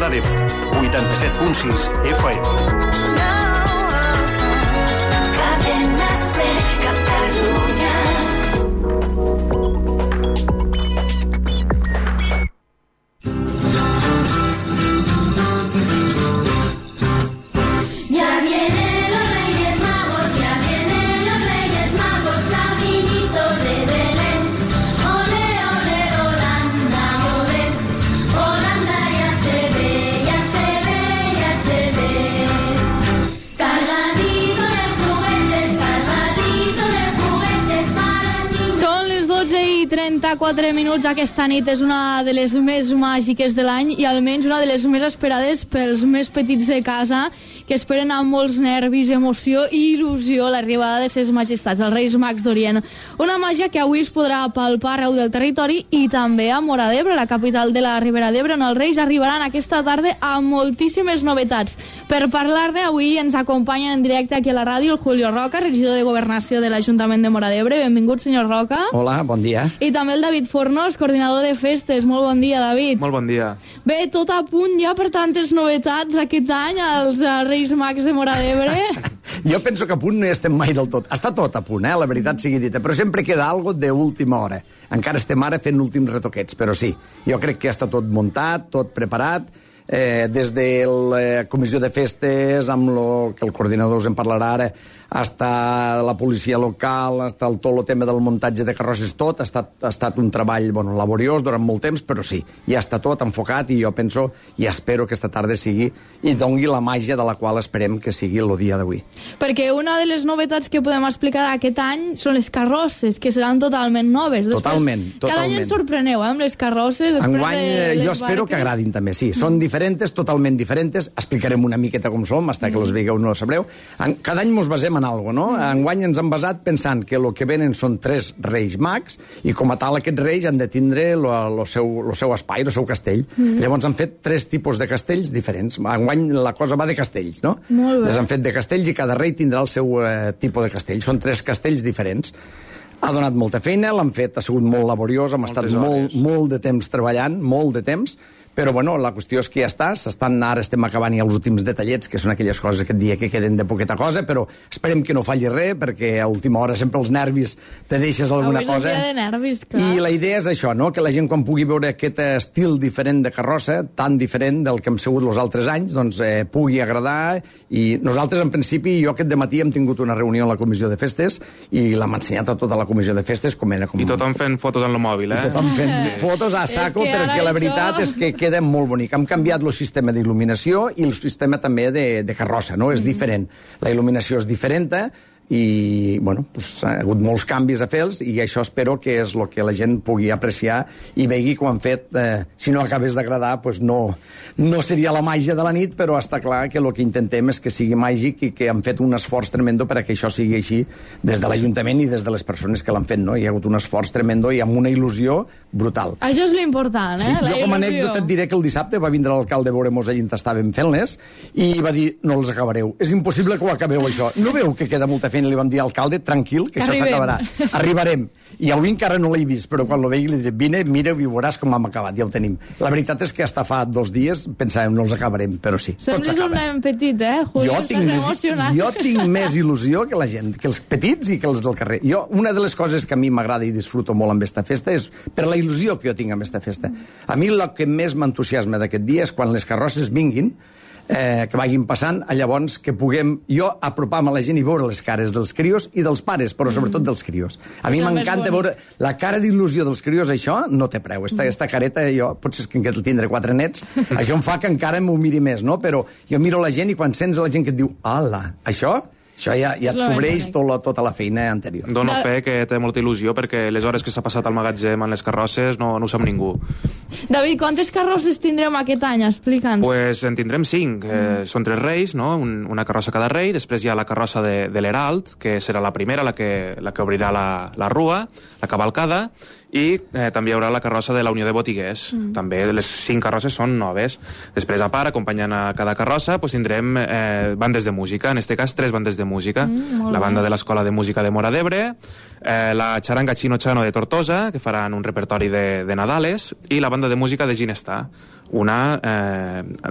Roda d'Ebre, 87.6 FM. i 34 minuts. Aquesta nit és una de les més màgiques de l'any i almenys una de les més esperades pels més petits de casa, que esperen amb molts nervis, emoció i il·lusió l'arribada de ses majestats, els Reis Mags d'Orient. Una màgia que avui es podrà palpar arreu del territori i també a Móra d'Ebre, la capital de la Ribera d'Ebre, on els Reis arribaran aquesta tarda amb moltíssimes novetats. Per parlar-ne, avui ens acompanyen en directe aquí a la ràdio el Julio Roca, regidor de Governació de l'Ajuntament de Móra d'Ebre. Benvingut, senyor Roca. Hola, bon dia. I també el David Fornos, coordinador de festes. Molt bon dia, David. Molt bon dia. Bé, tot a punt ja per tantes novetats aquest any als Reis Mags de Móra d'Ebre. Jo penso que a punt no hi estem mai del tot. Està tot a punt, la veritat sigui dita, però sempre queda algo d'última hora. Encara estem ara fent últims retoquets, però sí, jo crec que ja està tot muntat, tot preparat. Des de la comissió de festes, amb el que el coordinador us en parlarà ara, hasta la policia local, hasta tot el tema del muntatge de carrosses, tot ha estat un treball laboriós durant molt temps, però sí, ja està tot enfocat i jo penso i espero que esta tarda sigui i dongui la màgia de la qual esperem que sigui el dia d'avui. Perquè una de les novetats que podem explicar d'aquest any són les carrosses, que seran totalment noves. Totalment. Cada any ens sorpreneu, amb les carrosses. Enguany jo espero que agradin també, sí. Són diferents, totalment diferents. Explicarem una miqueta com som, fins que els veieu no ho sabreu. Cada any mos basem en algo, no? Enguany ens hem basat pensant que el que venen són 3 Reis Mags i com a tal aquests Reis han de tindre el seu espai, el seu castell. Llavors han fet 3 tipus de castells diferents. Enguany la cosa va de castells, no? Les han fet de castells i cada rei tindrà el seu tipus de castell. Són 3 castells diferents. Ha donat molta feina, l'han fet, ha sigut molt laboriós, hem estat molt de temps treballant, molt de temps, però bueno, la qüestió és que ja està, ara estem acabant ja els últims detallets, que són aquelles coses aquest dia que queden de poqueta cosa, però esperem que no falli res, perquè a última hora sempre els nervis te deixes alguna cosa. Avui és un dia de nervis, clar. I la idea és això, no? Que la gent quan pugui veure aquest estil diferent de carrossa, tan diferent del que hem sigut els altres anys, doncs pugui agradar, i nosaltres en principi, jo aquest dematí hem tingut una reunió a la comissió de festes i l'hem ensenyat a tota la comissió de festes com era. I tothom fent fotos en el mòbil, I tothom fent fotos a saco, perquè la veritat és que queda molt bonic. Hem canviat el sistema d'il·luminació i el sistema també de carrossa, no? És diferent. La il·luminació és diferent i, bueno, ha hagut molts canvis a fer-los i això espero que és el que la gent pugui apreciar i vegi que ho han fet. Si no acabés d'agradar, no seria la màgia de la nit, però està clar que el que intentem és que sigui màgic i que han fet un esforç tremendo perquè això sigui així des de l'Ajuntament i des de les persones que l'han fet, no? Hi ha hagut un esforç tremendo i amb una il·lusió brutal. Això és l'important, Sí, la jo com a il·lusió. anècdota et diré que el dissabte va vindre l'alcalde a veure-mos allà on estàvem fent-les i va dir, no els acabareu, és impossible que ho acabeu això, no veu que queda molta feina? Li vam dir, alcalde, tranquil, que això s'acabarà. Arribarem. I avui encara no l'he vist, però quan lo vegi li diré, vine, mira i veuràs com hem acabat, ja ho tenim. La veritat és que hasta fa 2 dies pensàvem, no els acabarem, però sí, tot Sembles un nen petit, Julio, estàs emocionat. Jo tinc més il·lusió que la gent, que els petits i que els del carrer. Una de les coses que a mi m'agrada i disfruto molt amb esta festa és per la il·lusió que jo tinc amb esta festa. A mi el que més m'entusiasma d'aquest dia és quan les carrosses vinguin, que vagin passant, llavors que puguem jo apropar-me a la gent i veure les cares dels crios i dels pares, però sobretot dels crios. A mi m'encanta veure la cara d'il·lusió dels crios, això no té preu. Esta careta, jo potser és que encara tindré 4 nets, això em fa que encara m'ho miri més, no? Però jo miro la gent i quan sents la gent que et diu, ala, això ja et cobreix tota la feina anterior. Dono fe que té molta il·lusió perquè les hores que s'ha passat al magatzem en les carrosses no ho sap ningú. David, quantes carrosses tindrem aquest any? Explica'ns. Pues en tindrem 5. Són 3 reis, no? Una carrossa cada rei, després hi ha la carrossa de l'Herald, que serà la primera, la que obrirà la rua, la cavalcada, i també hi haurà la carrossa de la Unió de Botiguers. També les 5 carrosses són noves. Després, a part, acompanyant a cada carrossa, doncs tindrem bandes de música, en este cas 3 bandes de música. La banda de l'Escola de Música de Móra d'Ebre, la Charanga Chino Chano de Tortosa, que faran un repertori de Nadales, i la banda de música de Ginestà, una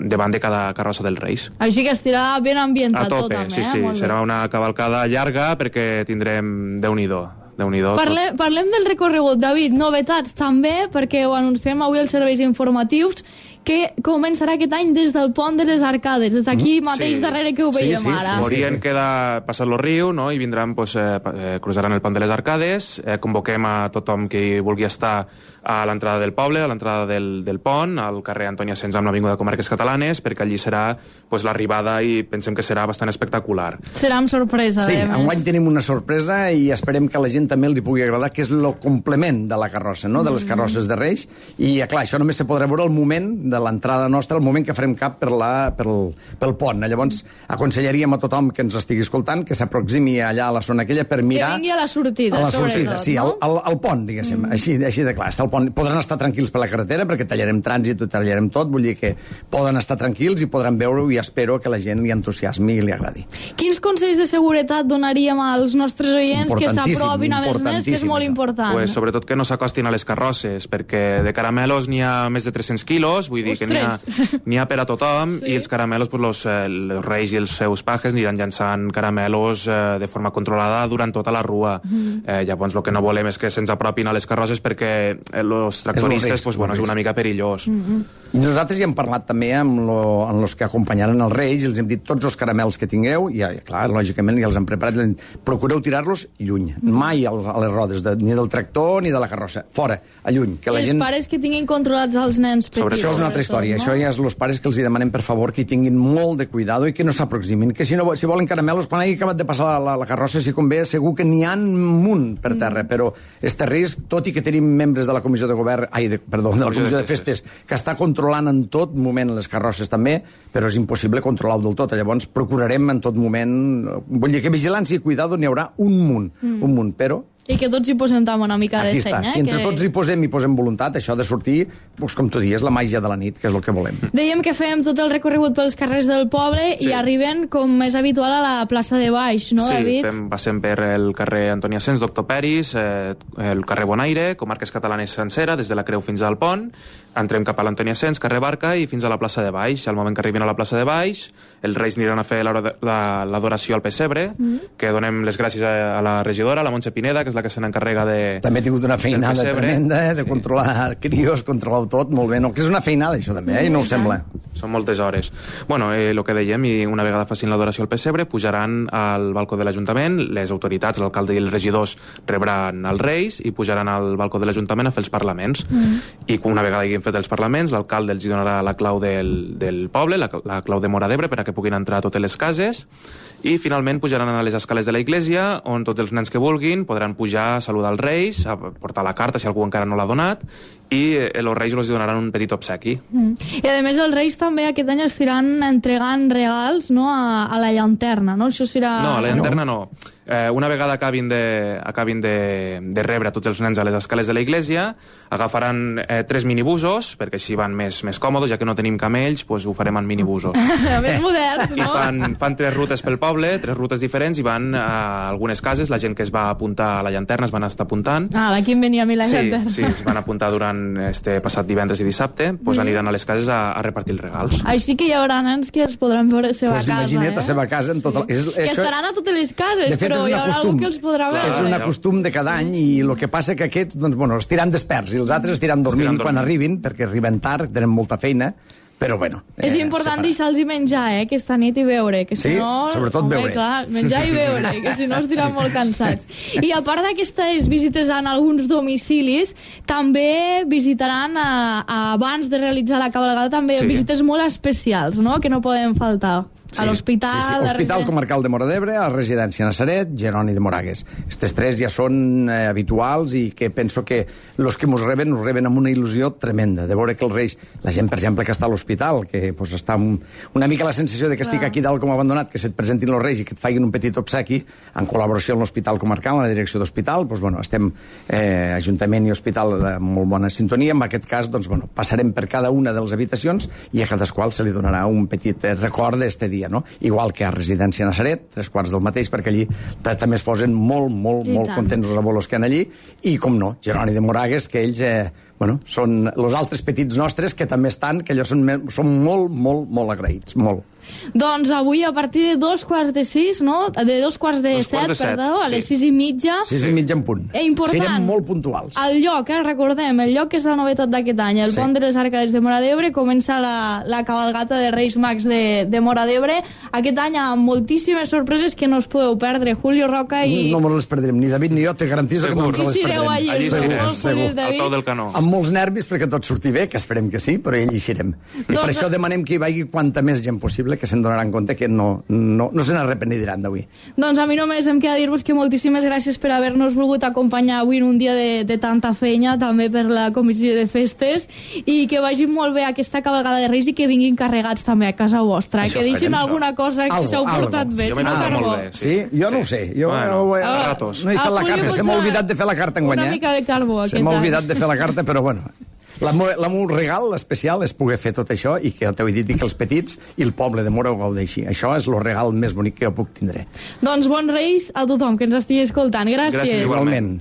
davant de cada carrossa dels Reis. Així que estirà ben ambientat a tope, tot també. Sí, serà una cavalcada llarga perquè tindrem Déu-n'hi-do. Parlem del recorregut, David, novetats també, perquè ho anunciem avui als serveis informatius, que començarà aquest any des del pont de les Arcades, des d'aquí mateix darrere que ho veiem ara. Morien queda passar el riu, no? I vindran, cruzaran el pont de les Arcades, convoquem a tothom que vulgui estar a l'entrada del poble, a l'entrada del pont, al carrer Antònia Sens amb l'Avinguda de Comarques Catalanes, perquè allí serà l'arribada i pensem que serà bastant espectacular. Serà amb sorpresa. Sí, enguany tenim una sorpresa i esperem que a la gent també li pugui agradar, que és el complement de la carrossa, no? De les carrosses de Reis, i clar, això només se podrà veure al moment de l'entrada nostra, el moment que farem cap pel pont. Llavors, aconsellaríem a tothom que ens estigui escoltant que s'aproximi allà a la zona aquella per mirar... Que vingui a la sortida, sobretot, sí, no? al pont, diguéssim, així de clar. Està al pont. Podran estar tranquils per la carretera, perquè tallarem trànsit, ho tallarem tot, vull dir que poden estar tranquils i podran veure-ho, i espero que la gent li entusiasmi i li agradi. Quins consells de seguretat donaríem als nostres oients que s'apropin a els nens, que és molt important? Pues, sobretot que no s'acostin a les carrosses, perquè de caramelos n'hi ha més de 300 quilos, vull dir que n'hi ha per a tothom, i els caramelos, els reis i els seus pajes aniran llançant caramelos de forma controlada durant tota la rua. Llavors el que no volem és que se'ns apropin a les carrosses, perquè els tractoristes és una mica perillós. I nosaltres ja hem parlat també amb els que acompanyaren els reis, i els hem dit tots els caramels que tingueu, i clar, lògicament ja els hem preparat, procureu tirar-los lluny, mai a les rodes ni del tractor ni de la carrossa, fora, a lluny. Que la gent... Els pares que tinguin controlats els nens petits. Això és una altra història. Això ja és els pares que els demanem, per favor, que hi tinguin molt de cuidado i que no s'aproximin. Que si volen caramelos, quan hagi acabat de passar la carrossa, si convé, segur que n'hi ha un munt per terra, però este risc, tot i que tenim membres de la Comissió de Govern, de la Comissió de Festes, que està controlant en tot moment les carrosses també, però és impossible controlar-ho del tot. Llavors procurarem en tot moment... Vull dir que vigilància i cuidado n'hi haurà un munt, però... I que tots hi posem també una mica de seny. Si entre tots hi posem voluntat, això de sortir, com tu dius, la màgia de la nit, que és el que volem. Dèiem que fem tot el recorregut pels carrers del poble i arriben, com és habitual, a la plaça de Baix, no, David? Sí, passem per el carrer Antònia Sens, Doctor Peris, el carrer Bonaire, Comarques Catalanes sencera, des de la Creu fins al pont, entrem cap a l'Antònia Sens, carrer Barca i fins a la plaça de Baix. Al moment que arribin a la plaça de Baix, els reis aniran a fer l'adoració al pessebre, que donem les gràcies a la regidora, la Montse Pineda, que és la que se n'encarrega de... També ha tingut una feinada tremenda, de controlar crios, controlar tot, molt bé. No, que és una feinada, això també, i no ho sembla. Són moltes hores. Bueno, el que dèiem, i una vegada facin l'adoració al pessebre, pujaran al balcó de l'Ajuntament, les autoritats, l'alcalde i els regidors rebran els reis i pujaran al balcó de l'Ajuntament a fer els parlaments. I una vegada hagin fet els parlaments, l'alcalde els donarà la clau del poble, la clau de Móra d'Ebre, perquè puguin entrar a totes les cases, i finalment pujaran a les escales de la iglesia, on tots els nens que vulguin podran pujar a saludar els reis, a portar la carta si algú encara no l'ha donat, i els reis els donaran un petit obsequi. I a més els reis també aquest any estiran entregant regals, no, a la llanterna, no? Això serà... No, a la llanterna no. Una vegada acabin de rebre tots els nens a les escales de la iglesia, agafaran 3 minibusos, perquè així van més còmodes, ja que no tenim camells, doncs ho farem en minibusos. Més moderns, no? I fan 3 rutes pel poble, 3 rutes diferents, i van a algunes cases, la gent que es va apuntar a la llanterna es van estar apuntant. D'aquí em venia a mi la llanterna. Sí, es van apuntar durant este passat divendres i dissabte, doncs aniran a les cases a repartir els regals. Així que hi haurà nens que es podran veure a la seva casa. Imagina't a la seva casa en tota... Que estaran a totes les cases, però hi haurà algú que els podrà veure. És un costum de cada any, i el que passa que aquests, doncs, bueno, estiran desperts, i els altres estiran dormint quan arribin, perquè arriben tard, tenen molta feina, però bueno... És important deixar-los menjar, aquesta nit, i beure, que si no... sobretot beure. Clar, menjar i beure, que si no estiran molt cansats. I a part d'aquestes visites en alguns domicilis, també visitaran, abans de realitzar la cavalcada, també visites molt especials, no?, que no poden faltar. A l'hospital... Sí, Hospital Comarcal de Móra d'Ebre, a la residència Nazaret, Jeroni de Moragues. Aquests tres ja són habituals i que penso que els que ens reben amb una il·lusió tremenda, de veure que els Reis, la gent, per exemple, que està a l'hospital, que pues, està una mica la sensació de que estic aquí dalt com abandonat, que se't presentin els Reis i que et facin un petit obsequi, en col·laboració amb l'Hospital Comarcal, amb la direcció d'Hospital, doncs, bueno, estem Ajuntament i Hospital amb molt bona sintonia. En aquest cas, doncs, bueno, passarem per cada una de les habitacions i a cadasqual se li donarà un petit record d'este dia, no? Igual que a Residència Nazaret, 3/4 del mateix, perquè allí també es posen molt contents els abuelos que han allí, i, com no, Jeroni de Moragues, que ells són els altres petits nostres que també estan, que ells són molt agraïts, molt. Doncs avui a partir de 5:45, no? De 5:45, perdó, a les 6:30. 6:30 en punt. Important. Serem molt puntuals. El lloc, recordem, el lloc és la novetat d'aquest any. El Pont de les Arcades de Móra d'Ebre, comença la cabalgata de Reis Mags de Móra d'Ebre. Aquest any amb moltíssimes sorpreses que no us podeu perdre. Julio Roca i... No ens les perdrem, ni David ni jo, te garantís que no ens les perdrem. Allí serem, al peu del canó. Amb molts nervis perquè tot surti bé, que esperem que sí, però allí serem. I per això demanem que hi vagi quanta més gent possible, que se'n donaran compte que no se n'arrepentiran d'avui. Doncs a mi només em queda dir-vos que moltíssimes gràcies per haver-nos volgut acompanyar avui en un dia de tanta feina, també per la comissió de festes, i que vagi molt bé aquesta cabalgada de Reis i que vinguin carregats també a casa vostra. Que deixin alguna cosa si s'heu portat bé, si no carbó. Sí? Jo no ho sé. Jo no he fet la carta, se m'ha oblidat de fer la carta enguany. Una mica de carbó. Se m'ha oblidat de fer la carta, però bueno... El meu regal especial és poder fer tot això i que t'ho he dit, i que els petits i el poble de Móra ho gaudeixi. Això és el regal més bonic que jo puc tindre. Doncs bons Reis a tothom que ens estigui escoltant. Gràcies. Gràcies igualment.